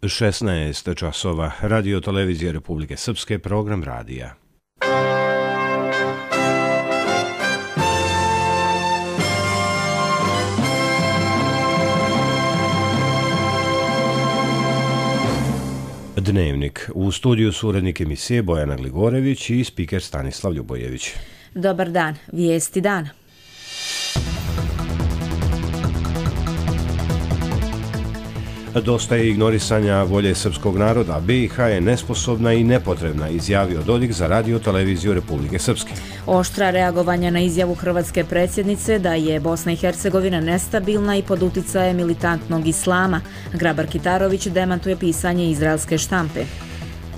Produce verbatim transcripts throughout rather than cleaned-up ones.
šesnaest časova. Radio televizije Republike Srpske, program radija. Dnevnik. U studiju su urednik emisije Bojana Gligorević i spiker Stanislav Ljubojević. Dobar dan. Vijesti dana. Dosta je ignorisanja volje srpskog naroda. B i H je nesposobna i nepotrebna, izjavio Dodik za radio televiziju Republike Srpske. Oštra reagovanja na izjavu hrvatske predsjednice da je Bosna i Hercegovina nestabilna i pod uticajem militantnog islama. Grabar Kitarović demantuje pisanje izraelske štampe.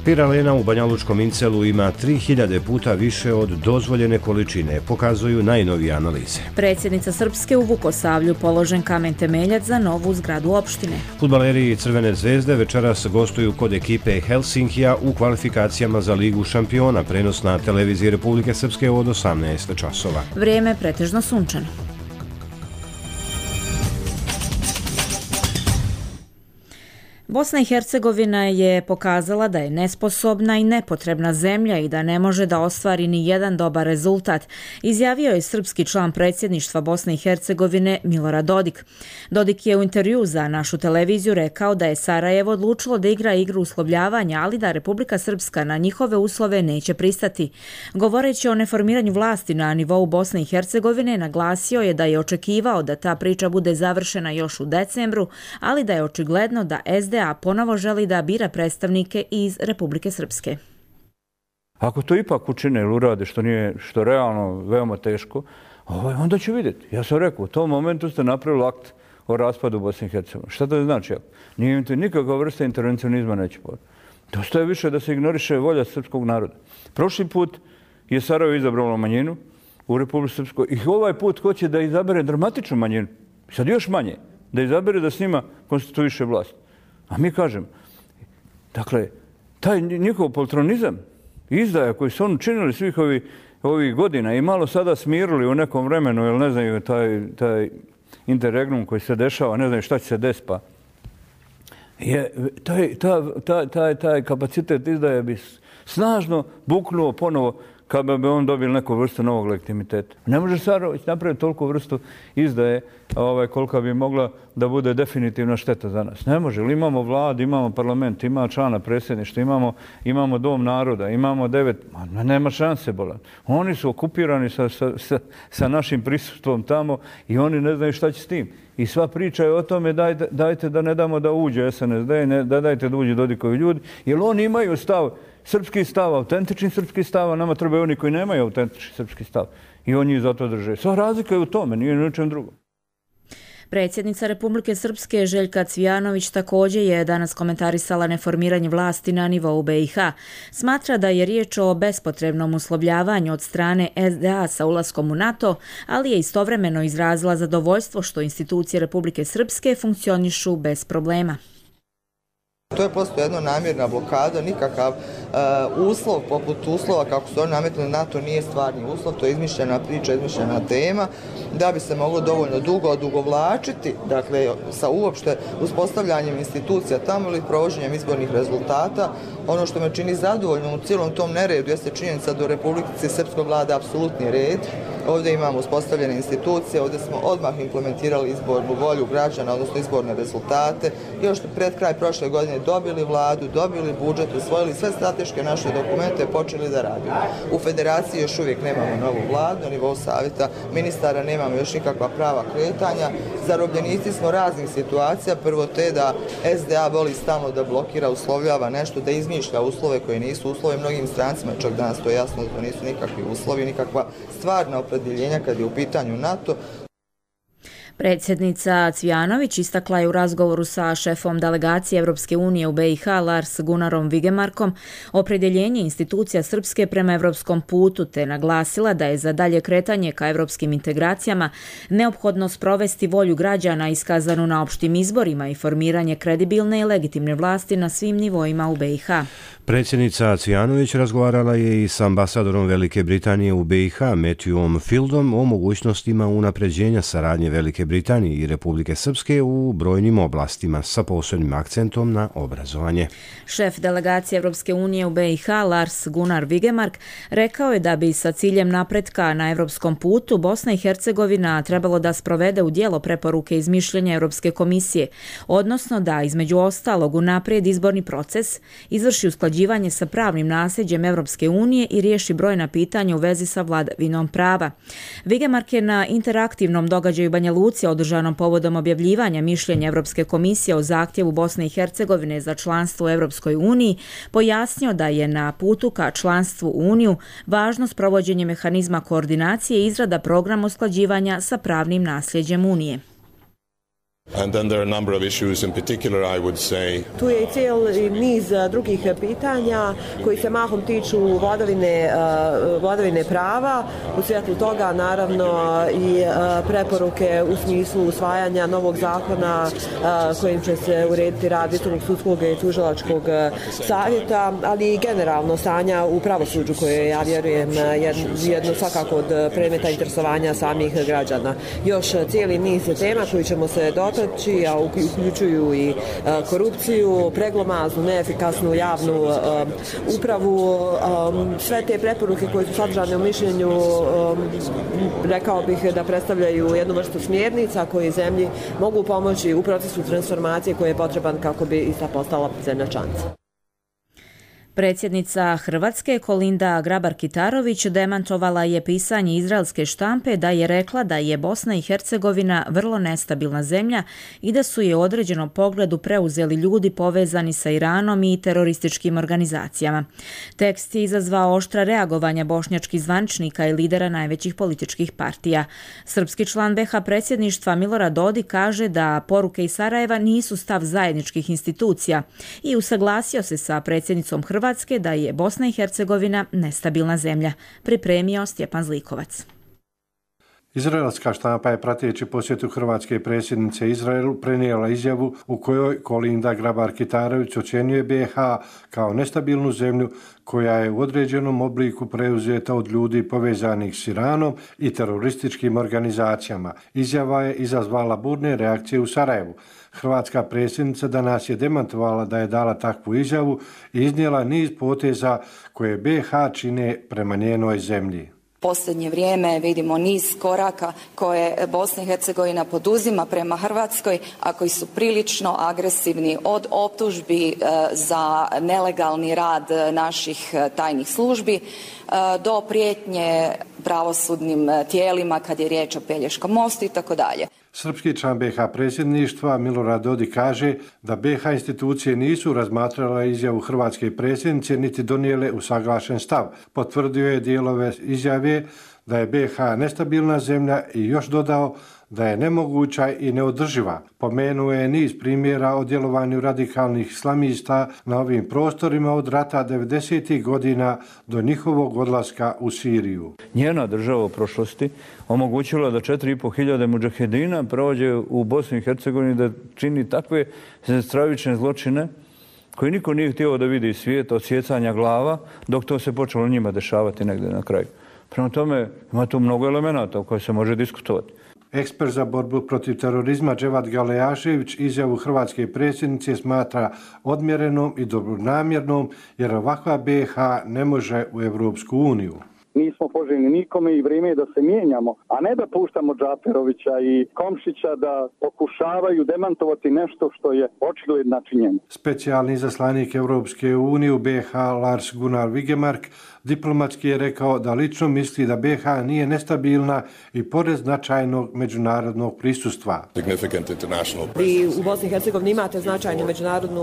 Piralena u Banjalučkom Incelu ima tri hiljade puta više od dozvoljene količine, pokazuju najnovije analize. Predsjednica Srpske u Vukosavlju položen kamen temeljac za novu zgradu opštine. Fudbaleri Crvene zvezde večeras gostuju kod ekipe Helsinkija u kvalifikacijama za Ligu šampiona, prenos na televiziji Republike Srpske od osamnaest časova. Vrijeme pretežno sunčano. Bosna i Hercegovina je pokazala da je nesposobna i nepotrebna zemlja i da ne može da ostvari ni jedan dobar rezultat, izjavio je srpski član predsjedništva Bosne i Hercegovine Milorad Dodik. Dodik je u intervju za našu televiziju rekao da je Sarajevo odlučilo da igra igru uslovljavanja, ali da Republika Srpska na njihove uslove neće pristati. Govoreći o neformiranju vlasti na nivou Bosne i Hercegovine, naglasio je da je očekivao da ta priča bude završena još u decembru, ali da je očigledno da S D A ponovo želi da bira predstavnike iz Republike Srpske. Ako to ipak učine ili urade, što nije, što realno veoma teško, onda ću vidjeti. Ja sam rekao, u tom momentu ste napravili akt o raspadu Bosne i Hercegovine. Šta to znači? Nije nikakva vrsta intervencionizma neće povati. Dosta je više da se ignoriše volja srpskog naroda. Prošli put je Sarajevo izabralo manjinu u Republike Srpskoj i ovaj put hoće da izabere dramatičnu manjinu. Sad još manje. Da izabere da s njima konstituiše vlast. A mi kažem, dakle, taj njihov poltronizam, izdaja koji su oni činili svih ovih, ovih godina i malo sada smirili u nekom vremenu, jer ne znaju taj, taj interregnum koji se dešava, ne znaju šta će se desiti, pa je, taj, ta, ta, taj, taj kapacitet izdaje bi snažno buknuo ponovo kada bi on dobili neku vrstu novog legitimiteta. Ne može Sarajevo napraviti toliko vrstu izdaje ovaj, kolika bi mogla da bude definitivna šteta za nas. Ne može. Ili imamo vlad, imamo parlament, imamo člana predsjedništva, imamo, imamo dom naroda, imamo devet... Ma, nema šanse, bolan. Oni su okupirani sa, sa, sa, sa našim prisustvom tamo i oni ne znaju šta će s tim. I sva priča je o tome dajte, dajte da ne damo da uđe S N S D, ne, da dajte da uđe Dodikovi ljudi, jer oni imaju stav, srpski stav, autentični srpski stav, a nama trebaju oni koji nemaju autentični srpski stav. I oni ih zato drže. Sva razlika je u tome, nije ni u čem drugom. Predsjednica Republike Srpske Željka Cvijanović također je danas komentarisala neformiranje vlasti na nivou B i H. Smatra da je riječ o bespotrebnom uslovljavanju od strane S D A sa ulaskom u NATO, ali je istovremeno izrazila zadovoljstvo što institucije Republike Srpske funkcionišu bez problema. To je prosto jedna namjerna blokada, nikakav uh, uslov poput uslova kako su oni nametnuli NATO nije stvarni uslov, to je izmišljena priča, izmišljena tema, da bi se moglo dovoljno dugo odugovlačiti, dakle sa uopšte uspostavljanjem institucija tamo ili provođenjem izbornih rezultata. Ono što me čini zadovoljno u cijelom tom neredu jeste činjenica da u Republici Srpskoj vlada apsolutni red. Ovdje imamo uspostavljene institucije, ovdje smo odmah implementirali izbornu volju građana, odnosno izborne rezultate. Još pred kraj prošle godine dobili vladu, dobili budžet, usvojili sve strateške naše dokumente i počeli da radimo. U federaciji još uvijek nemamo novu vladu, na nivou savjeta ministara nemamo još nikakva prava kretanja. Zarobljenici smo raznih situacija, prvo te da S D A voli stalno da blokira, uslovljava nešto, da izmišlja uslove koje nisu uslovi mnogim strancima, čak danas to je jasno da to nisu nikakvi uslovi, nikakva stvarna opredjeljenja kad je u pitanju NATO. Predsjednica Cvijanović istakla je u razgovoru sa šefom delegacije Evropske unije u B i H Lars Gunnarom Vigemarkom opredjeljenje institucija Srpske prema evropskom putu, te naglasila da je za dalje kretanje ka evropskim integracijama neophodno sprovesti volju građana iskazanu na opštim izborima i formiranje kredibilne i legitimne vlasti na svim nivoima u B i H. Predsjednica Cvijanović razgovarala je i s ambasadorom Velike Britanije u B i H Matthewom Fieldom o mogućnostima unapređenja saradnje Velike Britanije i Republike Srpske u brojnim oblastima sa posebnim akcentom na obrazovanje. Šef delegacije Evropske unije u B i H Lars Gunnar Vigemark rekao je da bi sa ciljem napretka na evropskom putu Bosna i Hercegovina trebalo da sprovede u djelo preporuke iz mišljenja Europske komisije, odnosno da između ostalog unaprijed izborni proces, izvrši usklađivanje sa pravnim nasljeđem Evropske unije i riješi brojna pitanja u vezi sa vladavinom prava. Vigemark je na interaktivnom događaju Banja Luci održanom povodom objavljivanja mišljenja Europske komisije o zahtjevu Bosne i Hercegovine za članstvo u Europskoj uniji pojasnio da je na putu ka članstvu u Uniju važno sprovođenje mehanizma koordinacije i izrada programa usklađivanja sa pravnim nasljeđem Unije. And then there are a number of issues in particular, I would say. Tu je i cijeli niz drugih pitanja koji se mahom tiču vladavine, vladavine prava. U svjetlu toga naravno i preporuke u smislu usvajanja novog zakona kojim će se urediti rad Visokog sudskog i tužilačkog savjeta, ali i generalno stanja u pravosuđu koje ja vjerujem jedno svakako od predmeta interesovanja samih građana. Još cijeli niz tema koji ćemo se dotaknuti, a uključuju i korupciju, preglomaznu, neefikasnu javnu upravu. Sve te preporuke koje su sadržane u mišljenju, rekao bih da predstavljaju jednu vrstu smjernica koji zemlji mogu pomoći u procesu transformacije koji je potreban kako bi ista postala zemlja članica. Predsjednica Hrvatske Kolinda Grabar-Kitarović demantovala je pisanje izraelske štampe da je rekla da je Bosna i Hercegovina vrlo nestabilna zemlja i da su je u određenom pogledu preuzeli ljudi povezani sa Iranom i terorističkim organizacijama. Tekst je izazvao oštra reagovanja bošnjačkih zvaničnika i lidera najvećih političkih partija. Srpski član B H predsjedništva Milorad Dodik kaže da poruke iz Sarajeva nisu stav zajedničkih institucija i usaglasio se sa predsjednicom Hrvatske da je Bosna i Hercegovina nestabilna zemlja, pripremio Stjepan Zlikovac. Izraelska štampa je prateći posjetu hrvatske predsjednice Izraelu prenijela izjavu u kojoj Kolinda Grabar-Kitarović ocjenjuje B H kao nestabilnu zemlju koja je u određenom obliku preuzeta od ljudi povezanih s Iranom i terorističkim organizacijama. Izjava je izazvala burne reakcije u Sarajevu. Hrvatska predsjednica danas je demantovala da je dala takvu izjavu i iznijela niz poteza koje B H čine prema njenoj zemlji. Posljednje vrijeme vidimo niz koraka koje Bosna i Hercegovina poduzima prema Hrvatskoj, a koji su prilično agresivni, od optužbi za nelegalni rad naših tajnih službi do prijetnje pravosudnim tijelima kad je riječ o Pelješkom mostu i tako dalje. Srpski član B H predsjedništva Milorad Dodik kaže da B H institucije nisu razmatrale izjavu hrvatske predsjednice niti donijele usaglašen stav. Potvrdio je dijelove izjave da je B H nestabilna zemlja i još dodao da je nemoguća i neodrživa. Pomenuo je niz primjera o djelovanju radikalnih islamista na ovim prostorima od rata devedesetih godina do njihovog odlaska u Siriju. Njena država u prošlosti omogućila da četiri i po hiljade mudžahedina prođe u Bosni i Hercegovini da čini takve stravične zločine koji niko nije htio da vidi svijet od sjecanja glava dok to se počelo njima dešavati negdje na kraju. Prema tome ima tu mnogo elemenata o kojoj se može diskutovati. Ekspert za borbu protiv terorizma Dževat Galejašević izjavu hrvatske predsjednice smatra odmjerenom i dobronamjernom jer ovakva B H ne može u Europsku uniju. Nismo poželjni nikome i vrijeme je da se mijenjamo, a ne da puštamo Džaferovića i Komšića da pokušavaju demantovati nešto što je očigledna činjenica. Specijalni izaslanik Europske unije u B H Lars Gunnar Vigemark diplomatski je rekao da lično misli da B H nije nestabilna i pored značajnog međunarodnog prisustva. Vi u Bosni i Hercegovini imate značajno međunarodno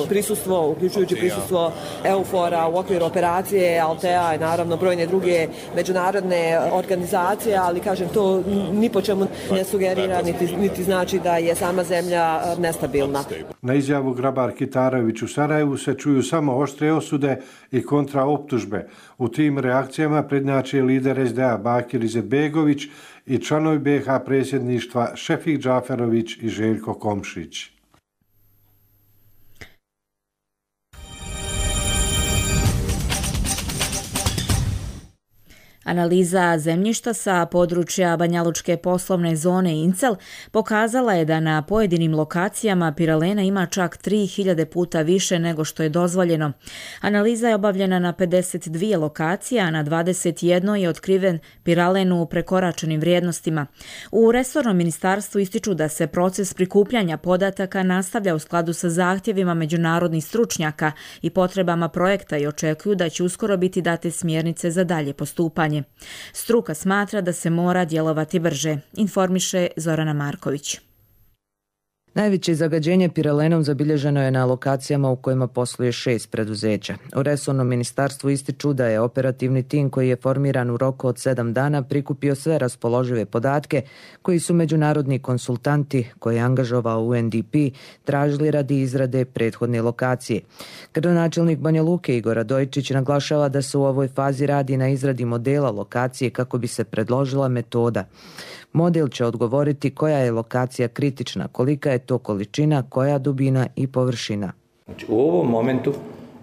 prisustvo, uključujući prisustvo EUFOR-a u okviru operacije Altea i naravno brojne druge međunarodne organizacije, ali kažem to ni po čemu ne sugerira niti, niti znači da je sama zemlja nestabilna. Na izjavu Grabar-Kitarović u Sarajevu se čuju samo oštre osude i kontraoptužbe. U tim reakcijama prednjače lider S D A Bakir Izetbegović i članovi B H predsjedništva Šefik Džaferović i Željko Komšić. Analiza zemljišta sa područja Banjalučke poslovne zone Incel pokazala je da na pojedinim lokacijama piralena ima čak tri hiljade puta više nego što je dozvoljeno. Analiza je obavljena na pedeset dvije lokacije, a na dvadeset jednoj je otkriven piralen u prekoračenim vrijednostima. U resornom ministarstvu ističu da se proces prikupljanja podataka nastavlja u skladu sa zahtjevima međunarodnih stručnjaka i potrebama projekta i očekuju da će uskoro biti date smjernice za dalje postupanje. Struka smatra da se mora djelovati brže, informiše Zorana Marković. Najveće zagađenje piralenom zabilježeno je na lokacijama u kojima posluje šest preduzeća. U resornom ministarstvu ističu da je operativni tim koji je formiran u roku od sedam dana prikupio sve raspoložive podatke koji su međunarodni konsultanti koje je angažovao U N D P tražili radi izrade prethodne lokacije. Gradonačelnik Banja Luke Igor Radojčić naglašava da se u ovoj fazi radi na izradi modela lokacije kako bi se predložila metoda. Model će odgovoriti koja je lokacija kritična, kolika je to količina, koja dubina i površina. Znači, u ovom momentu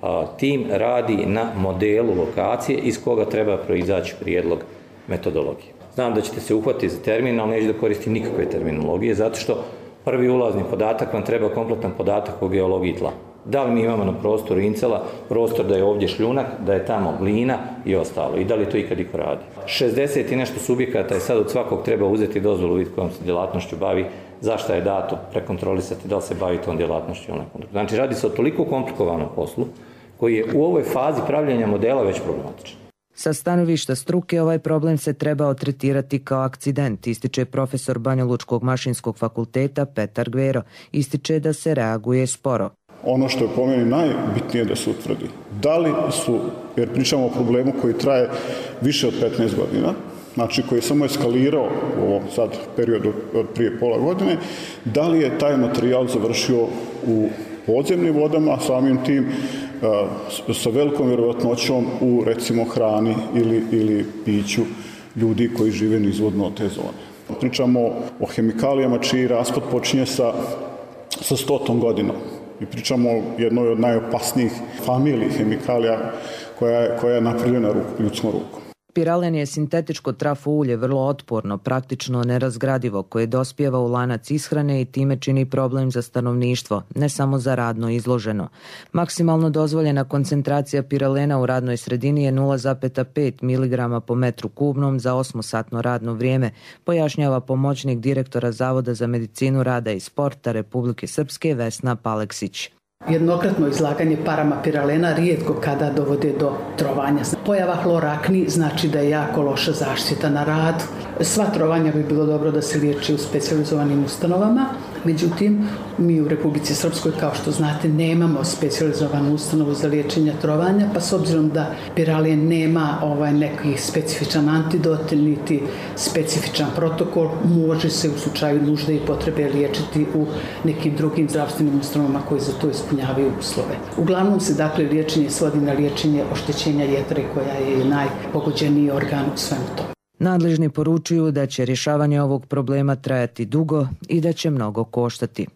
a, tim radi na modelu lokacije iz koga treba proizaći prijedlog metodologije. Znam da ćete se uhvatiti za termin, ali neću da koristim nikakve terminologije, zato što prvi ulazni podatak vam treba kompletan podatak o geologiji tla. Da li mi imamo na prostoru Incela prostor da je ovdje šljunak, da je tamo glina i ostalo. I da li to ikad iko radi. šezdeset i nešto subjekata je sad od svakog treba uzeti dozvolu vid kojom se djelatnošću bavi, zašto je dato prekontrolisati da li se bavi tom djelatnošću. Znači radi se o toliko komplikovanom poslu koji je u ovoj fazi pravljenja modela već problematičan. Sa stanovišta struke ovaj problem se trebao tretirati kao akcident, ističe profesor Banjalučkog mašinskog fakulteta Petar Gvero. Ističe da se reaguje sporo. Ono što je po meni najbitnije da se utvrdi, da li su, jer pričamo o problemu koji traje više od petnaest godina, znači koji je samo eskalirao u ovom sad periodu od prije pola godine, da li je taj materijal završio u podzemnim vodama, samim tim sa velikom vjerovatnoćom u recimo hrani ili, ili piću ljudi koji žive nizvodno od te zone. Pričamo o hemikalijama čiji raspad počinje sa, sa stotom godinom. I pričamo o jednoj od najopasnijih familiji hemikalija koja je, koja je napravljena ruk, ljudskom rukom. Piralen je sintetičko trafo ulje vrlo otporno, praktično nerazgradivo, koje dospijeva u lanac ishrane i time čini problem za stanovništvo, ne samo za radno izloženo. Maksimalno dozvoljena koncentracija piralena u radnoj sredini je nula zarez pet miligrama po metru kubnom za osmosatno radno vrijeme, pojašnjava pomoćnik direktora Zavoda za medicinu rada i sporta Republike Srpske Vesna Paleksić. Jednokratno izlaganje parama piralena rijetko kada dovode do trovanja. Pojava hlorakni znači da je jako loša zaštita na radu. Sva trovanja bi bilo dobro da se liječi u specijalizovanim ustanovama. Međutim, mi u Republici Srpskoj, kao što znate, nemamo specijalizovanu ustanovu za liječenje trovanja, pa s obzirom da piralen nema ovaj neki specifičan antidot, niti specifičan protokol, može se u slučaju nužde i potrebe liječiti u nekim drugim zdravstvenim ustanovama koji za to ispunjavaju uslove. Uglavnom se dakle liječenje svodi na liječenje oštećenja jetre koja je najpogođeniji organ u svemu tome. Nadležni poručuju da će rješavanje ovog problema trajati dugo i da će mnogo koštati.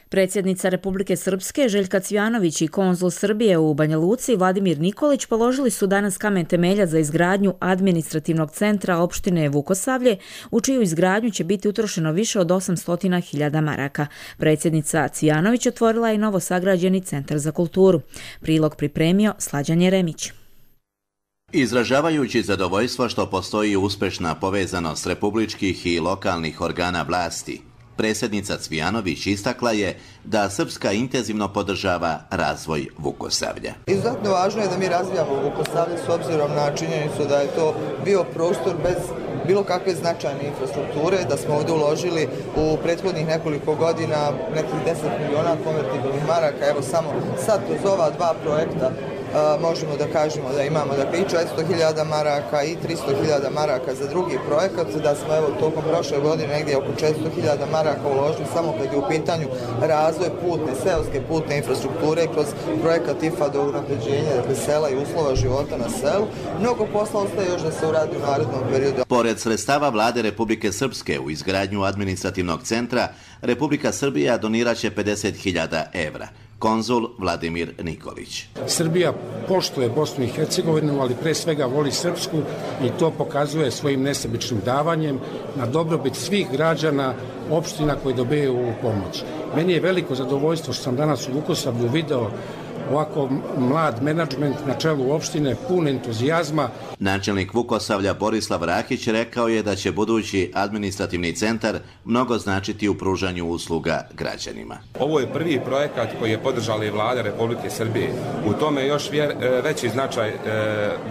Predsjednica Republike Srpske Željka Cvijanović i konzul Srbije u Banja Luci Vladimir Nikolić položili su danas kamen temelja za izgradnju administrativnog centra opštine Vukosavlje, u čiju izgradnju će biti utrošeno više od osamsto hiljada maraka. Predsjednica Cvijanović otvorila je novo sagrađeni centar za kulturu. Prilog pripremio Slađan Jeremić. Izražavajući zadovoljstvo što postoji uspješna povezanost republičkih i lokalnih organa vlasti, predsjednica Cvijanović istakla je da Srpska intenzivno podržava razvoj Vukosavlja. Izuzetno važno je da mi razvijamo Vukosavlje s obzirom na činjenicu da je to bio prostor bez bilo kakve značajne infrastrukture, da smo ovdje uložili u prethodnih nekoliko godina nekih deset miliona konvertibilnih maraka. Evo samo sad kroz ova dva projekta Uh, možemo da kažemo da imamo dakle, i četiristo hiljada maraka i tristo hiljada maraka za drugi projekat, da smo evo tokom prošle godine negdje oko četiristo hiljada maraka uložili samo kad je u pitanju razvoj putne, seoske putne infrastrukture kroz projekat I F A do unapređenja dakle, sela i uslova života na selu. Mnogo posla ostaje još da se uradi u narednom periodu. Pored sredstava Vlade Republike Srpske u izgradnju administrativnog centra, Republika Srbija doniraće pedeset hiljada evra. konzul Vladimir Nikolić. Srbija poštuje Bosnu i Hercegovinu, ali pre svega voli Srpsku i to pokazuje svojim nesebičnim davanjem na dobrobit svih građana opština koji dobijaju ovu pomoć. Meni je veliko zadovoljstvo što sam danas u Vukosavlju video ovako mlad menadžment na čelu opštine, pun entuzijazma. Načelnik Vukosavlja Borislav Rakić rekao je da će budući administrativni centar mnogo značiti u pružanju usluga građanima. Ovo je prvi projekat koji je podržala i vlada Republike Srbije. U tome je još vjer, veći značaj e,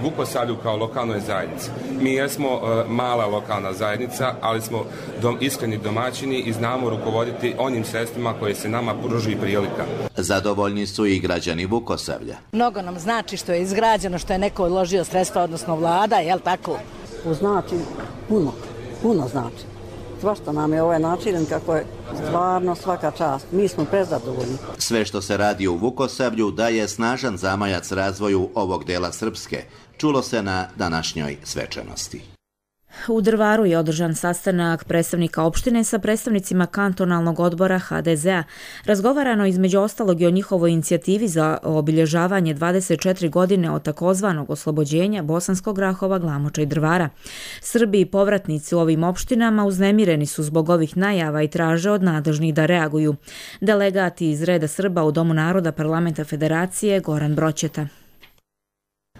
Vukosavlju kao lokalnoj zajednici. Mi jesmo e, mala lokalna zajednica, ali smo dom, iskreni domaćini i znamo rukovoditi onim sredstvima koje se nama pruži prilika. Zadovoljni su i građani Vukosavlja. Mnogo nam znači što je izgrađeno, što je neko uložio sredstva, odnosno vlada, jel tako? Znači puno, puno znači. Svašta nam je ovaj način kako je stvarno svaka čast. Mi smo prezadovoljni. Sve što se radi u Vukosavlju daje snažan zamajac razvoju ovog dela Srpske. Čulo se na današnjoj svečanosti. U Drvaru je održan sastanak predstavnika opštine sa predstavnicima kantonalnog odbora ha de zea. Razgovarano između ostalog i o njihovoj inicijativi za obilježavanje dvadeset četiri godine od takozvanog oslobođenja Bosanskog Grahova, Glamoča i Drvara. Srbi i povratnici u ovim opštinama uznemireni su zbog ovih najava i traže od nadležnih da reaguju. Delegati iz reda Srba u Domu naroda Parlamenta Federacije Goran Broćeta.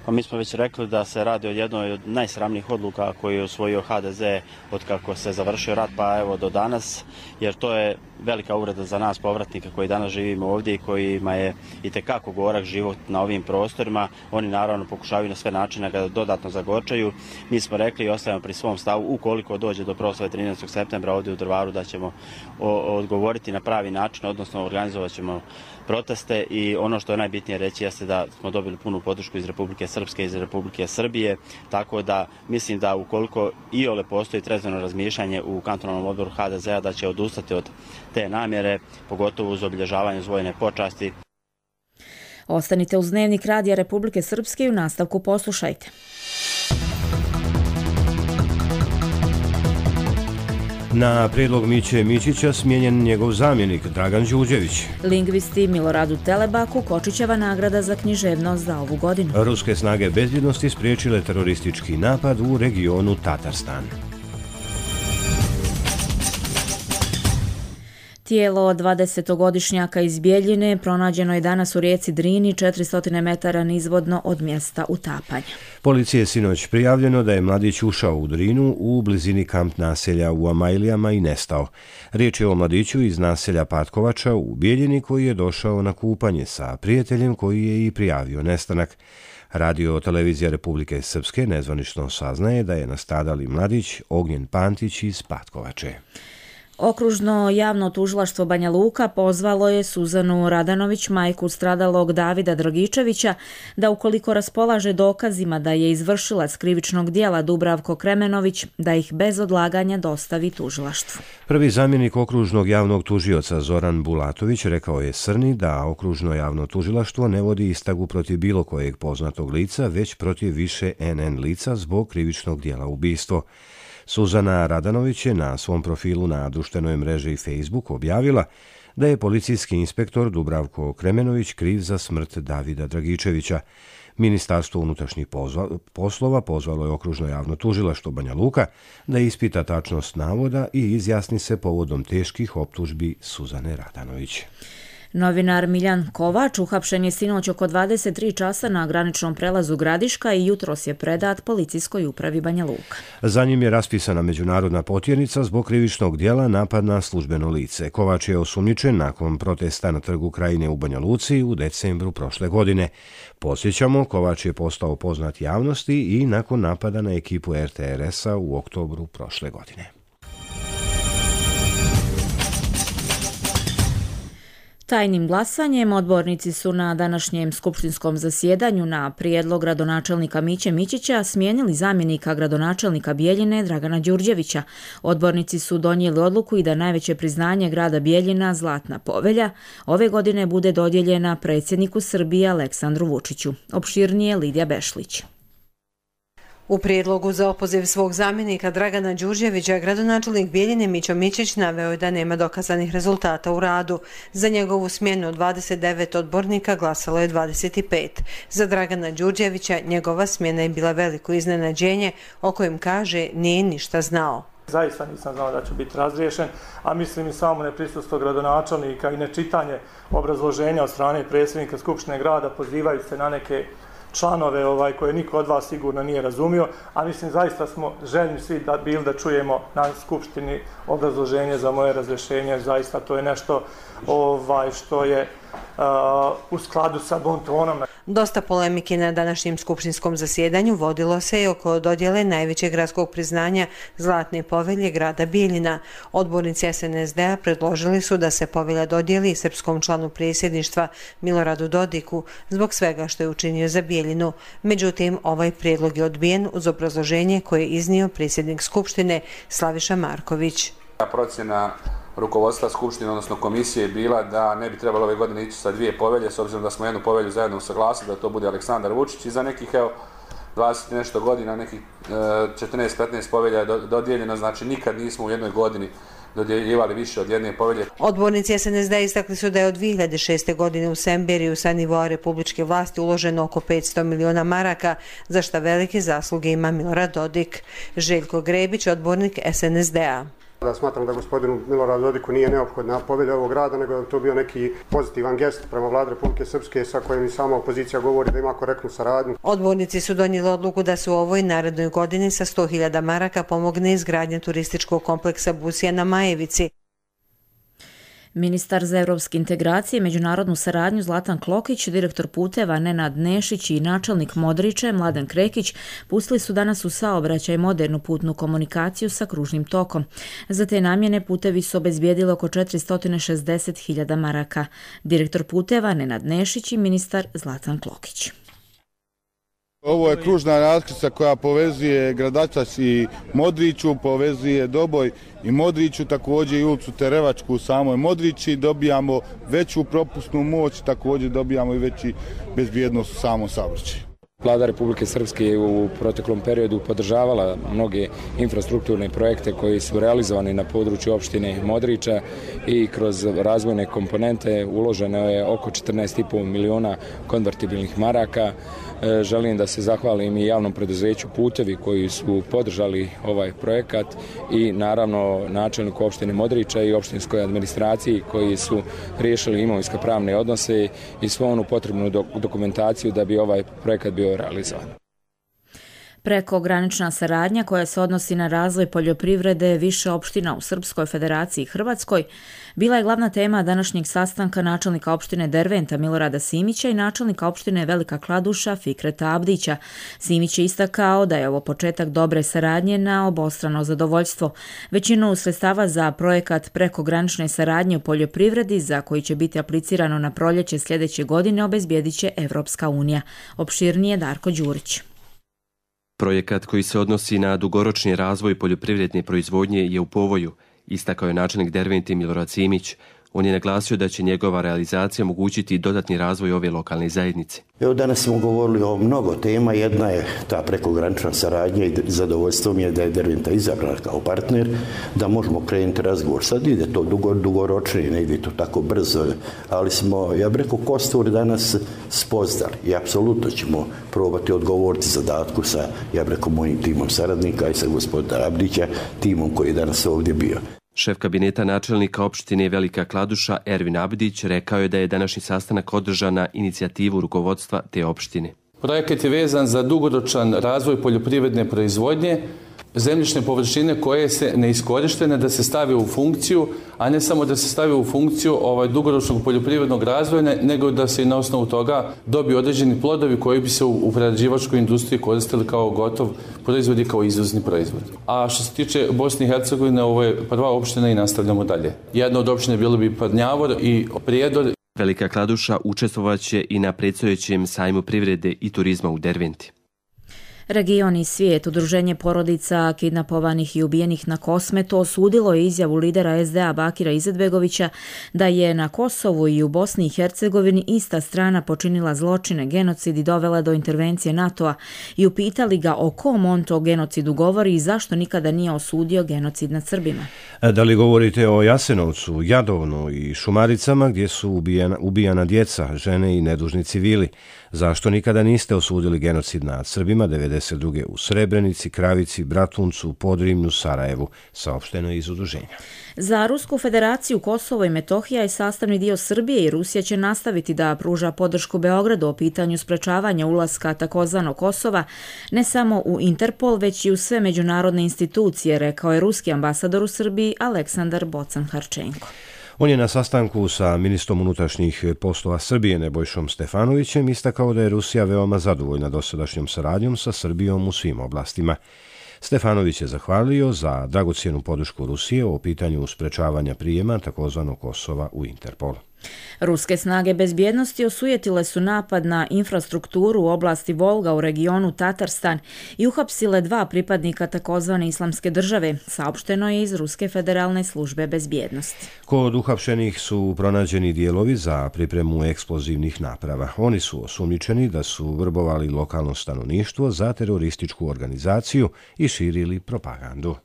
Pa mi smo već rekli da se radi o jednoj od najsramnijih odluka koju je usvojio ha de ze od kako se završio rat pa evo do danas, jer to je velika uvreda za nas povratnike koji danas živimo ovdje i kojima je itekako gorak život na ovim prostorima. Oni naravno pokušavaju na sve načine ga dodatno zagorčaju. Mi smo rekli i ostajemo pri svom stavu ukoliko dođe do proslave trinaestog septembra ovdje u Drvaru da ćemo odgovoriti na pravi način, odnosno organizovat ćemo proteste i ono što je najbitnije reći jeste da smo dobili punu podršku iz Republike Srpske i iz Republike Srbije, tako da mislim da ukoliko iole postoji trezveno razmišljanje u kantonalnom odboru ha de zea da će odustati od te namjere, pogotovo uz obilježavanje vojne počasti. Ostanite uz Dnevnik Radija Republike Srpske i u nastavku poslušajte. Na prijedlog Miće Mićića smijenjen njegov zamjenik Dragan Đurđević. Lingvisti Miloradu Telebaku Kočićeva nagrada za književnost za ovu godinu. Ruske snage bezbjednosti spriječile teroristički napad u regionu Tatarstan. Tijelo dvadesetogodišnjaka iz Bjeljine pronađeno je danas u rijeci Drini četiristo metara nizvodno od mjesta utapanja. Policiji je sinoć prijavljeno da je mladić ušao u Drinu u blizini kamp naselja u Amajlijama i nestao. Riječ je o mladiću iz naselja Patkovača u Bjeljini koji je došao na kupanje sa prijateljem koji je i prijavio nestanak. Radio televizija Republike Srpske nezvanično saznaje da je nastradali mladić Ognjen Pantić iz Patkovače. Okružno javno tužilaštvo Banja Luka pozvalo je Suzanu Radanović, majku stradalog Davida Dragičevića, da ukoliko raspolaže dokazima da je izvršilac krivičnog dijela Dubravko Kremenović, da ih bez odlaganja dostavi tužilaštvu. Prvi zamjenik okružnog javnog tužioca Zoran Bulatović rekao je Srni da okružno javno tužilaštvo ne vodi istragu protiv bilo kojeg poznatog lica, već protiv više en en lica zbog krivičnog dijela ubistvo. Suzana Radanović je na svom profilu na društvenoj mreži Facebook objavila da je policijski inspektor Dubravko Kremenović kriv za smrt Davida Dragičevića. Ministarstvo unutrašnjih poslova pozvalo je okružno javno tužilaštvo Banja Luka da ispita tačnost navoda i izjasni se povodom teških optužbi Suzane Radanović. Novinar Miljan Kovač uhapšen je sinoć oko dvadeset tri časa na graničnom prelazu Gradiška i jutros je predat policijskoj upravi Banja Luka. Za njim je raspisana međunarodna potjernica zbog krivičnog dijela napad na službeno lice. Kovač je osumnjičen nakon protesta na trgu Krajine u Banja Luci u decembru prošle godine. Podsjećamo, Kovač je postao poznat javnosti i nakon napada na ekipu er te er esa u oktobru prošle godine. Tajnim glasanjem odbornici su na današnjem skupštinskom zasjedanju na prijedlog gradonačelnika Miće Mićića smijenili zamjenika gradonačelnika Bjeljine Dragana Đurđevića. Odbornici su donijeli odluku i da najveće priznanje grada Bjeljina, Zlatna povelja, ove godine bude dodijeljena predsjedniku Srbije Aleksandru Vučiću. Opširnije Lidija Bešlić. U prijedlogu za opoziv svog zamjenika Dragana Đurđevića, gradonačelnik Bijeljine Mićo Mićić naveo je da nema dokazanih rezultata u radu. Za njegovu smjenu od dvadeset devet odbornika glasalo je dvadeset pet. Za Dragana Đurđevića njegova smjena je bila veliko iznenađenje o kojem kaže nije ništa znao. Zaista nisam znao da će biti razriješen, a mislim i samo neprisustvo gradonačelnika i nečitanje obrazloženja od strane predsjednika Skupštine grada pozivajući se na neke članove ovaj, koje niko od vas sigurno nije razumio, a mislim zaista smo željni svi da bili da čujemo na Skupštini obrazloženje za moje razrješenje. Zaista to je nešto ovaj, što je uh, u skladu sa bon tonom. Dosta polemike na današnjem skupštinskom zasjedanju vodilo se i oko dodjele najvećeg gradskog priznanja Zlatne povelje grada Bijeljina. Odbornici S N S D-a predložili su da se povelja dodijeli srpskom članu predsjedništva Miloradu Dodiku zbog svega što je učinio za Bijeljinu. Međutim, ovaj prijedlog je odbijen uz obrazloženje koje je iznio predsjednik Skupštine Slaviša Marković. Procjena rukovodstva Skupštine, odnosno komisije, je bila da ne bi trebalo ove godine ići sa dvije povelje, s obzirom da smo jednu povelju zajedno usaglasili, da to bude Aleksandar Vučić i za nekih evo, dvadeset nešto godina, nekih četrnaest petnaest povelja je dodijeljeno, znači nikad nismo u jednoj godini dodjeljivali više od jedne povelje. Odbornici S N S D istakli su da je od dvije hiljade šeste. godine u Semberiju sa nivoa republičke vlasti uloženo oko petsto miliona maraka, za šta velike zasluge ima Milorad Dodik. Željko Grebić, odbornik S N S D-a. Da smatram da gospodinu Miloradu Dodiku nije neophodna povelja ovog grada, nego da to bio neki pozitivan gest prema vladi Republike Srpske sa kojim i sama opozicija govori da ima korektnu saradnju. Odbornici su donijeli odluku da se u ovoj narednoj godini sa sto hiljada maraka pomogne izgradnja turističkog kompleksa Busija na Majevici. Ministar za evropske integracije i međunarodnu saradnju Zlatan Klokić, direktor puteva Nenad Nešić i načelnik Modriče Mladen Krekić pustili su danas u saobraćaj modernu putnu komunikaciju sa kružnim tokom. Za te namjene putevi su obezbijedili oko četiristo šezdeset hiljada maraka. Direktor puteva Nenad Nešić i ministar Zlatan Klokić. Ovo je kružna raskrsnica koja povezuje Gradačac i Modriću, povezuje Doboj i Modriću, također i ulicu Terevačku u samoj Modrići. Dobijamo veću propusnu moć, također dobijamo i veći bezbjednost u samom saobraćaju. Vlada Republike Srpske je u proteklom periodu podržavala mnoge infrastrukturne projekte koji su realizovani na području opštine Modriča i kroz razvojne komponente uloženo je oko četrnaest i po miliona konvertibilnih maraka. Želim da se zahvalim i javnom preduzeću Putevi koji su podržali ovaj projekat i naravno načelniku opštine Modriča i opštinskoj administraciji koji su riješili imovinsko pravne odnose i svu onu potrebnu dokumentaciju da bi ovaj projekat bio realizovan. Prekogranična saradnja koja se odnosi na razvoj poljoprivrede više opština u Srpskoj Federaciji i Hrvatskoj bila je glavna tema današnjeg sastanka načelnika opštine Derventa Milorada Simića i načelnika opštine Velika Kladuša Fikreta Abdića. Simić je istakao da je ovo početak dobre saradnje na obostrano zadovoljstvo. Većinu sredstava za projekat prekogranične saradnje u poljoprivredi, za koji će biti aplicirano na proljeće sljedeće godine, obezbijedit će Evropska unija. Opširnije Darko Đurić. Projekat koji se odnosi na dugoročni razvoj poljoprivredne proizvodnje je u povoju, istakao je načelnik Dervente Milorad Simić. On je naglasio da će njegova realizacija omogućiti dodatni razvoj ove lokalne zajednice. Evo danas smo govorili o mnogo tema. Jedna je ta prekogranična saradnja i zadovoljstvo mi je da je Derventa izabrana kao partner, da možemo krenuti razgovor. Sad ide to dugo, dugoročnije, ne ide to tako brzo, ali smo, ja bih rekao, kostur danas spoznali i apsolutno ćemo probati odgovoriti zadatku sa, ja bih rekao, mojim timom saradnika i sa gospodina Abdića, timom koji je danas ovdje bio. Šef kabineta načelnika opštine Velika Kladuša Ervin Abdić rekao je da je današnji sastanak održan na inicijativu rukovodstva te opštine. Projekat je vezan za dugoročan razvoj poljoprivredne proizvodnje, zemljišne površine koje se neiskorištene da se stave u funkciju, a ne samo da se stave u funkciju ovaj dugoročnog poljoprivrednog razvoja, nego da se i na osnovu toga dobiju određeni plodovi koji bi se u, u prerađivačkoj industriji koristili kao gotov proizvod i kao izvozni proizvod. A što se tiče Bosne i Hercegovine, ovo je prva opština i nastavljamo dalje. Jedna od opštine bilo bi Parnjavor i Prijedor. Velika Kladuša učestvovaće i na predstojećem sajmu privrede i turizma u Derventi. Region i svijet, udruženje porodica kidnapovanih i ubijenih na Kosmetu osudilo je izjavu lidera es de a Bakira Izetbegovića da je na Kosovu i u Bosni i Hercegovini ista strana počinila zločine, genocid i dovela do intervencije NATO-a i upitali ga o kom on to genocidu govori i zašto nikada nije osudio genocid nad Srbima. Da li govorite o Jasenovcu, Jadovnu i Šumaricama gdje su ubijana, ubijana djeca, žene i nedužni civili? Zašto nikada niste osudili genocid nad Srbima devedeset druge u Srebrenici, Kravici, Bratuncu, Podrimlju, Sarajevu, saopšteno je iz udruženja. Za Rusku federaciju Kosovo i Metohija je sastavni dio Srbije i Rusija će nastaviti da pruža podršku Beogradu o pitanju sprečavanja ulaska takozvanog Kosova ne samo u Interpol, već i u sve međunarodne institucije, rekao je ruski ambasador u Srbiji Aleksandar Bocan-Harčenko. On je na sastanku sa ministrom unutrašnjih poslova Srbije Nebojšom Stefanovićem istakao da je Rusija veoma zadovoljna dosadašnjom saradnjom sa Srbijom u svim oblastima. Stefanović je zahvalio za dragocjenu podršku Rusije o pitanju sprečavanja prijema takozvanog Kosova u Interpol. Ruske snage bezbjednosti osujetile su napad na infrastrukturu u oblasti Volga u regionu Tatarstan i uhapsile dva pripadnika takozvane islamske države, saopšteno je iz Ruske federalne službe bezbjednosti. Kod uhapšenih su pronađeni dijelovi za pripremu eksplozivnih naprava. Oni su osumnjičeni da su vrbovali lokalno stanovništvo za terorističku organizaciju i širili propagandu.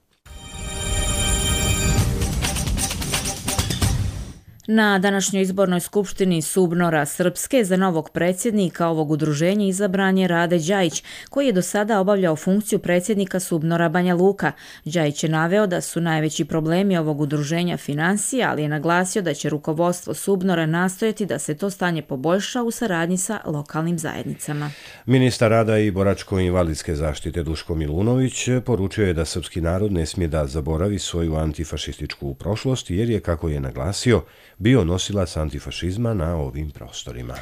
Na današnjoj izbornoj skupštini Subnora Srpske za novog predsjednika ovog udruženja izabran je Rade Đajić, koji je do sada obavljao funkciju predsjednika Subnora Banja Luka. Đajić je naveo da su najveći problemi ovog udruženja financija, ali je naglasio da će rukovodstvo Subnora nastojati da se to stanje poboljša u saradnji sa lokalnim zajednicama. Ministar rada i boračko-invalidske zaštite Duško Milunović poručio je da srpski narod ne smije da zaboravi svoju antifašističku prošlost, jer je, kako je naglasio, bio nosilac antifašizma na ovim prostorima.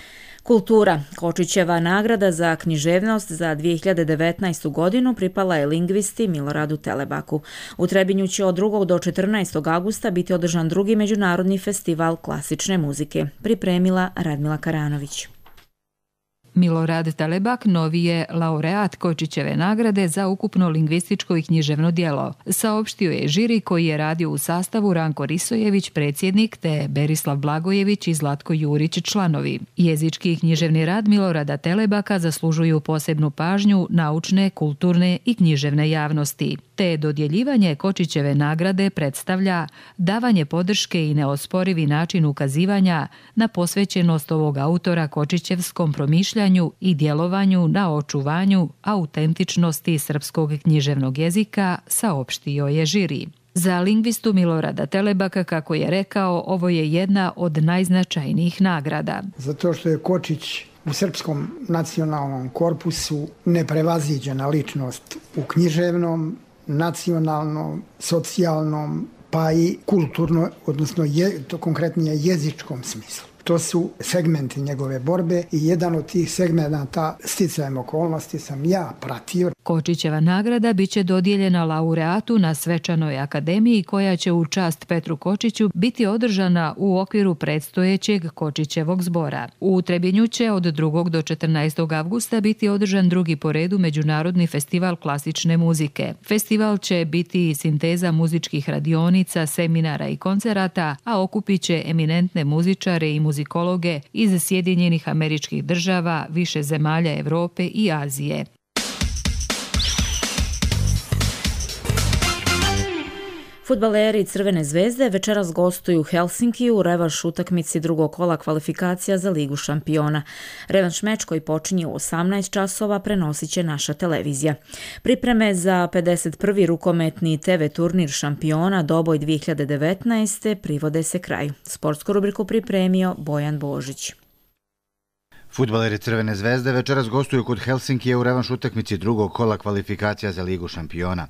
Kultura. Kočićeva nagrada za književnost za dvije hiljade devetnaestu. godinu pripala je lingvisti Miloradu Telebaku. U Trebinju će od drugog do četrnaestog avgusta biti održan drugi međunarodni festival klasične muzike. Pripremila Radmila Karanović. Milorad Telebak novi je laureat Kočićeve nagrade za ukupno lingvističko i književno djelo. Saopštio je žiri koji je radio u sastavu Ranko Risojević, predsjednik, te Berislav Blagojević i Zlatko Jurić, članovi. Jezički i književni rad Milorada Telebaka zaslužuju posebnu pažnju naučne, kulturne i književne javnosti. Te dodjeljivanje Kočićeve nagrade predstavlja davanje podrške i neosporivi način ukazivanja na posvećenost ovog autora Kočićevskom promišljanju i djelovanju na očuvanju autentičnosti srpskog književnog jezika, saopštio je žiri. Za lingvistu Milorada Telebaka, kako je rekao, ovo je jedna od najznačajnijih nagrada. Zato što je Kočić u srpskom nacionalnom korpusu neprevaziđena ličnost u književnom, nacionalnom, socijalnom, pa i kulturno, odnosno je, to konkretnije jezičkom smislu. To su segmenti njegove borbe i jedan od tih segmenta sticajem okolnosti sam ja pratio. Kočićeva nagrada biće dodijeljena laureatu na svečanoj akademiji koja će u čast Petru Kočiću biti održana u okviru predstojećeg Kočićevog zbora. U Trebinju će od drugog do četrnaestog avgusta biti održan drugi po redu Međunarodni festival klasične muzike. Festival će biti sinteza muzičkih radionica, seminara i koncerata, a okupit će eminentne muzičare i muzikologe iz Sjedinjenih Američkih Država, više zemalja Evrope i Azije. Fudbaleri Crvene zvezde večeras gostuju u Helsinkiju u revanš utakmici drugog kola kvalifikacija za Ligu šampiona. Revanš meč koji počinje u osamnaest časova prenosit će naša televizija. Pripreme za pedeset prvi rukometni te ve turnir šampiona Doboj dvije hiljade devetnaeste. privode se kraju. Sportsku rubriku pripremio Bojan Božić. Fudbaleri Crvene zvezde večeras gostuju kod Helsinkije u revanš utakmici drugog kola kvalifikacija za Ligu šampiona.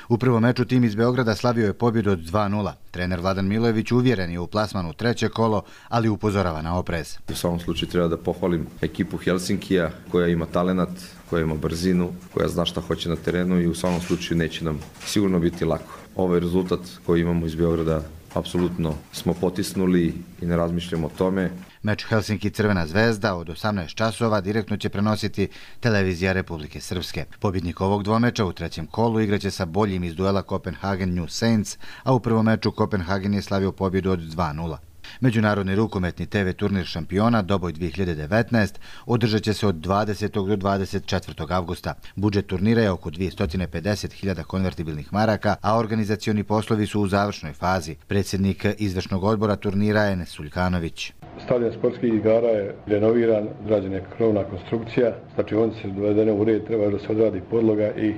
U prvom meču tim iz Beograda slavio je pobjedu od dva nula. Trener Vladan Milojević uvjeren je u plasmanu treće kolo, ali upozorava na oprez. U svakom slučaju treba da pohvalim ekipu Helsinkija koja ima talenat, koja ima brzinu, koja zna šta hoće na terenu i u svakom slučaju neće nam sigurno biti lako. Ovaj rezultat koji imamo iz Beograda apsolutno smo potisnuli i ne razmišljamo o tome. Meč Helsinki Crvena zvezda od osamnaest časova direktno će prenositi televizija Republike Srpske. Pobjednik ovog dvomeča u trećem kolu igraće sa boljim iz duela Copenhagen New Saints, a u prvom meču Copenhagen je slavio pobjedu od dva nula. Međunarodni rukometni te ve turnir šampiona Doboj dvije hiljade devetnaest održat će se od dvadesetog do dvadeset četvrtog avgusta. Budžet turnira je oko dvjesto pedeset hiljada konvertibilnih maraka, a organizacioni poslovi su u završnoj fazi. Predsjednik izvršnog odbora turnira je Enes Suljkanović. Stadion sportskih igara je renoviran, građen je krovna konstrukcija, znači on se dovedene u red, treba da se odradi podloga i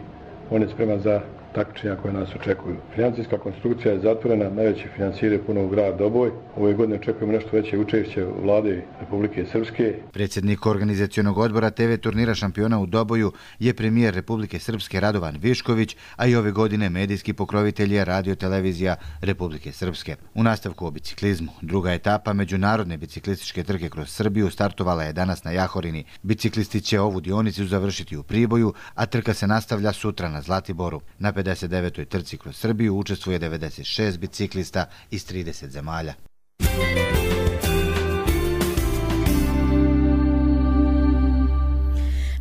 on je spreman za takmičenja koje nas očekuju. Financijska konstrukcija je zatvorena, najveći financijeri je puno u grad Doboj. Ove godine očekujemo nešto veće učešće vlade Republike Srpske. Predsjednik organizacionog odbora te ve turnira šampiona u Doboju je premijer Republike Srpske Radovan Višković, a i ove godine medijski pokrovitelj je radio televizija Republike Srpske. U nastavku o biciklizmu, druga etapa međunarodne biciklističke trke kroz Srbiju startovala je danas na Jahorini. Biciklisti će ovu dionicu završiti u Priboju, a trka se nastavlja sutra na Zlatiboru. Na pedeset devetoj trci kroz Srbiju učestvuje devedeset šest biciklista iz trideset zemalja.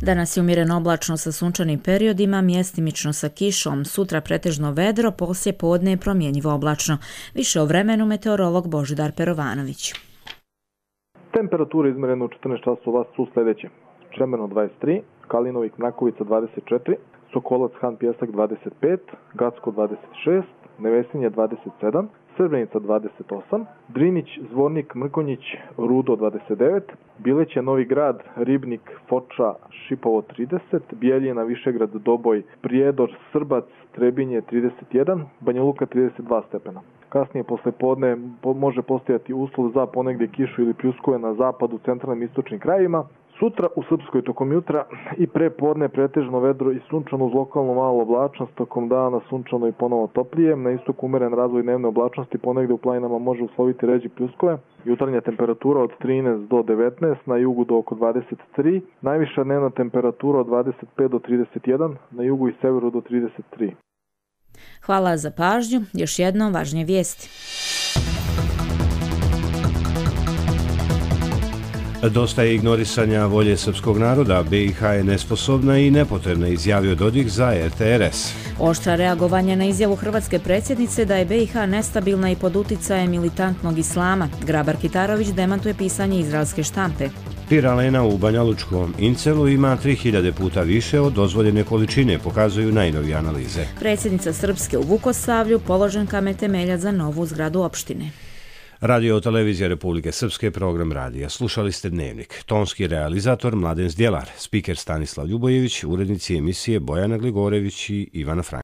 Danas je umjereno oblačno sa sunčanim periodima, mjestimično sa kišom, sutra pretežno vedro, poslije podne je promjenjivo oblačno. Više o vremenu meteorolog Božidar Perovanović. Temperature izmjerene u četrnaest časova su sljedeće. Čemerno dvadeset tri, Kalinovik Mrakovica dvadeset četiri, Sokolac Han Pjesak dvadeset pet, Gacko dvadeset šest, Nevesinje dvadeset sedam, Srbenica dvadeset osam, Drinić, Zvornik, Mrkonjić, Rudo dvadeset devet, Bileće, Novi Grad, Ribnik, Foča, Šipovo trideset, Bijeljina, Višegrad, Doboj, Prijedor, Srbac, Trebinje trideset jedan, Banja Luka trideset dva stepena. Kasnije posle podne može postojati uslov za ponegdje kišu ili pljuskove na zapadu, centralnim i istočnim krajevima. Sutra u Srpskoj tokom jutra i pre podne pretežno vedro i sunčano uz lokalno malo oblačnost, tokom dana sunčano i ponovo toplije. Na istoku umeren razvoj dnevne oblačnosti, ponegde u planinama može usloviti ređe pljuskove. Jutarnja temperatura od trinaest do devetnaest, na jugu do oko dvadeset tri, najviša dnevna temperatura od dvadeset pet do trideset jedan, na jugu i severu do trideset tri. Hvala za pažnju. Još jednom važnije vijesti. Dosta je ignorisanja volje srpskog naroda, be i ha je nesposobna i nepotrebna, izjavio Dodik za er te er es. Oštra reagovanje na izjavu hrvatske predsjednice da je be i ha nestabilna i pod uticajem militantnog islama. Grabar Kitarović demantuje pisanje izraelske štampe. Piralena u Banjalučkom Incelu ima tri hiljade puta više od dozvoljene količine, pokazuju najnovije analize. Predsjednica Srpske u Vukosavlju položen kamen temeljac za novu zgradu opštine. Radio televizija Republike Srpske, program radija. Slušali ste Dnevnik. Tonski realizator Mladen Zdjelar, spiker Stanislav Ljubojević, urednici emisije Bojana Gligorević i Ivana Frank.